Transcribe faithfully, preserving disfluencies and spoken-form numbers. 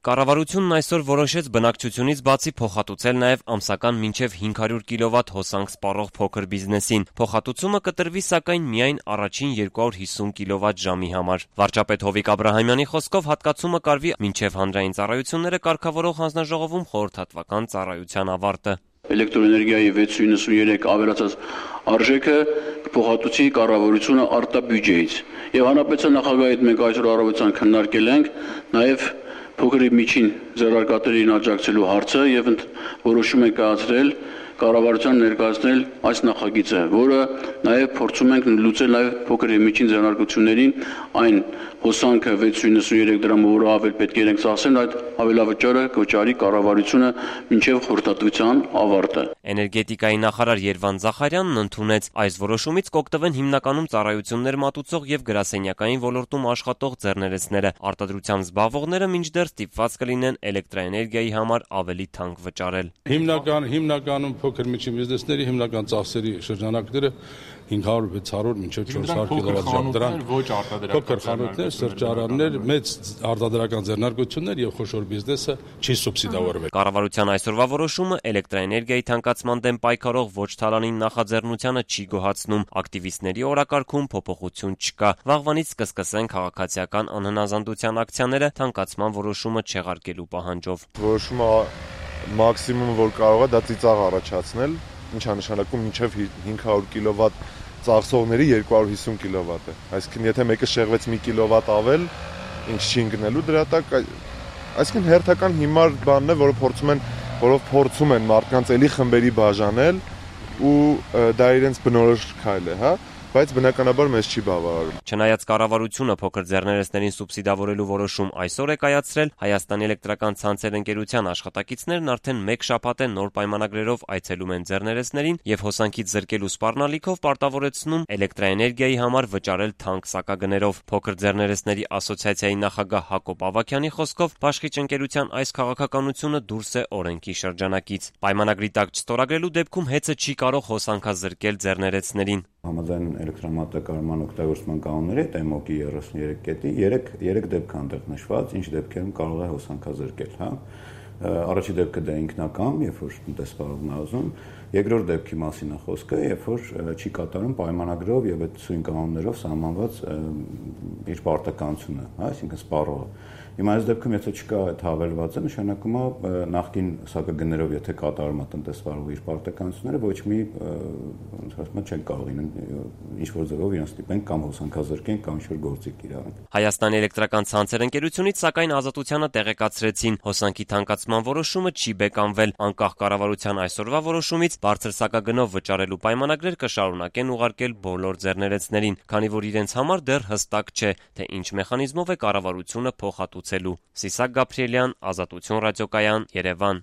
Կառավարությունն այսօր որոշեց բնակչությունից բացի փոխհատուցել նաև ամսական մինչև հինգ հարյուր կիլովատ հոսանք սպառող փոքր բիզնեսին։ Փոխհատուցումը կտրվի սակայն միայն առաջին երկու հարյուր հիսուն կիլովատ ժամի համար։ Վարչապետ Հովիկ Աբրահամյանի խոսքով հատկացումը կարվի մինչև հանրային ծառայությունները կարգավորող հանձնաժողովում խորհրդատվական ծառայության ավարտը։ Էլեկտրոէներգիայի վեց նոյնասունյերեք ավելացած արժեքը կփոխհատուցի կառավարությունը արտաբյուջեից։ Եվ հանրապետության նախագահի հետ մենք այսօր առավոտյան քննարկել ենք նաև փոքր եւ միջին ձեռնարկատերերին աջակցելու հարցը եւ որոշում ենք կայացրել կառավարության ներկայացնել այս նախագիծը, որը նաև փորձում ենք լուծել նաև փոքր եւ միջին ձեռնարկություններին այն հոսանքը վեց նոյնասունյերեք դրամով, որը ավել պետք է իրենք ծախսեն, այդ ավելավճարը կվճարի կառավարությունը մինչև խորհրդատվության ավարտը։ Էներգետիկայի նախարար Երվանդ Զախարյանն ընդունեց այս որոշումից կօգտվեն հիմնականում ծառայություններ մատուցող եւ գրասենյակային ոլորտում աշխատող ձեռներեցները։ Արտադրությամբ զբաղվողները մինչդեռ ստիպված կլինեն էլեկտրաէներգիայի համար ավելի թանկ վճարել։ Հիմնական հիմնականում փոքր միջին բիզնեսների հիմնական ծախսերի շրջանակները հինգ հարյուր վեց հարյուր մինչև չորս հարյուր կիլովատ ժամ դրան ոչ արտադրական փոքր խանութներ, սրճարաններ, մեծ արտադրական ձեռնարկություններ եւ խոշոր բիզնեսը չի սուբսիդավորվել։ Կառավարության այսօրվա որոշումը էլեկտրաէներգիայի թանկացման դեմ պայքարող ոչ թալանին նախաձեռնությանը չի գոհացնում։ Ակտիվիստների օրակարգում փոփոխություն չկա։ Վաղվանից կսկսեն քաղաքացիական անհնազանդության ակցիաները թանկացման որոշումը չեղարկելու պահանջով։ Որոշումը մաքսիմումը որ կարող է դա ծիծաղ առաջացնել, ինչա նշանակում մինչև հինգ հարյուր կիլովատ ծախսողների երկու հարյուր հիսուն կիլովատ է։ Այսինքն եթե մեկը շեղվեց մի կիլովատ ավել, ինչ չի ընկնելու դրա տակ, այսինքն հերթական հիմար բանն է, որը փորձում են, որով փորձում են մարդկանց էլի խմբերի բաժանել ու դա իրենց բնորոշ քայլ է, հա, բայց բնականաբար մեզ չի բավարարում։ Չնայած կառավարությունը փոքր ձեռներեցներին սուբսիդավորելու որոշում այսօր է կայացրել, Հայաստանի էլեկտրական ցանցեր ընկերության աշխատակիցներն արդեն մեկ շաբաթ է նոր պայմանագրերով այցելում են ձեռներեցներին եւ հոսանքից զրկելու սպառնալիքով պարտավորեցնում էլեկտրաէներգիայի համար վճարել թանկ սակագներով։ Փոքր ձեռներեցների ասոցիացիայի նախագահ Հակոբ Ավագյանի խոսքով բաշխիչ ընկերության այս քաղաքականությունը դուրս է օրենքի շրջանակից։ Պայմանագրի տակ չստորագրելու դեպքում հեծը չի կարող հոսանքազրկել ձեռներեցներին։ Համաձայն էլեկտրամատակարարման օգտագործման կանոնների հետ էմ օ կի երեսուններեք կետի երեք դեպք անտեղ նշված, ինչ դեպքերում կարող է հոսանքազրկել, հա։ Առաջի դեպքը դա ինքնակամ, երբ որ տնտեսվարողն է ուզում, երկրորդ դեպքի մասին է խոսքը, երբ որ չի կատարում պայմանագրով եւ այդ սույն կանոններով սահմանված իր պարտականությունը, հա, այսինքն սպառողը։ Հիմա այս դեպքում եթե չկա այդ հավելվածը, նշանակում է նախկին սակագներով եթե կատարում է տնտեսվարողը իր պարտականությունները, ոչ մի ոնց ասում չեն կարող ինչ որ ձևով իրեն ստիպեն կամ հոսանքազրկեն կամ ինչ որ գործիք իրավենք։ Հայաստանի էլեկտրական ցանցեր ընկերությունից սակայն ազատությանը տեղեկացրեցին, հոսանքի թանկացման որոշումը չի բեկանվել, անկախ կառավարության այսօրվա որոշումից բարձր սակագնով վճարելու պայմանագրեր կշարունակեն ուղարկել բոլոր ձեռներեցներին, քանի որ իրենց համար դեռ հստակ չէ, թե ինչ մեխանիզմով է կառավարությունը փոխհատուցելու։ Սիսակ Գաբրիելյան, Ազատություն ռադիոկայան, Երևան։